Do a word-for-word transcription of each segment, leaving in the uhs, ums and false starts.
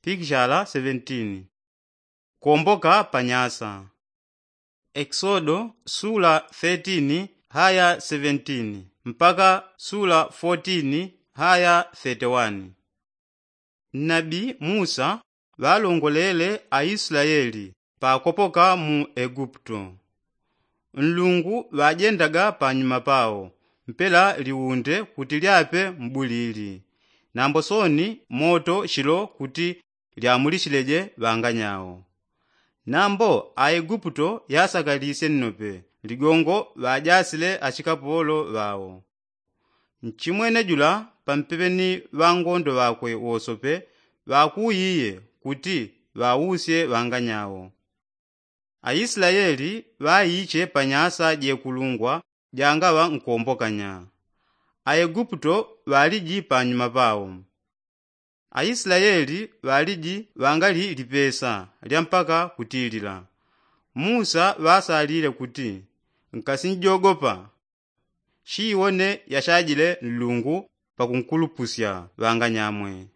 pikishala seventeen. Kuomboka pa nyasa. Exodo sula thirteen haya seventeen mpaka sula fourteen haya thirty-one. Nabi musa ŵalongolele aislaeli pakopoka mu eguputo. Nlungu ŵajendaga panyuma pao mpela liunde kuti lyape m'bulili, nambo soni moto shilo kuti lyamulishileje ŵanganyao. Nambo aiguputo yasakalisye nnope ligongo ŵajasile ashikapolo ŵao. Nchimwene jula pampepe ni ŵangondo ŵakwe wosope ŵakuuyiye kuti ŵausye ŵanganyao. Aislaeli ŵaiche pa nyasa jekulungwa jangaŵa nkombokanya. Aiguputo ŵaliji panyuma pao. Aislaeli ŵaliji ŵangali lipesa lya mpaka kutilila. Musa ŵasalile kuti, nkasinjogopa. Shiiwone yashajile nlungu pakunkulupusya ŵanganyamwe.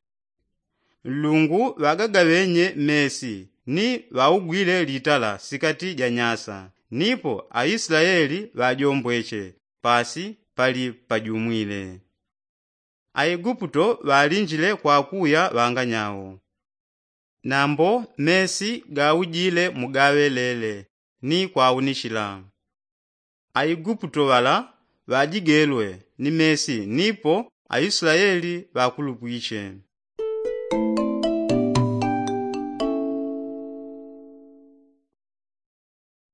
Nlungu ŵagagaŵenye mesi ni ŵaugwile litala sikati ja nyasa, nipo aislaeli ŵajombweche pasi pali pajumwile. Aiguputo ŵalinjile kwakuya ŵanganyao. Nambo mesi gaujile mugaŵelele ni kwaunishila. Aiguputo ŵala ŵajigelwe ni mesi nipo aislaeli ŵakulupwiche.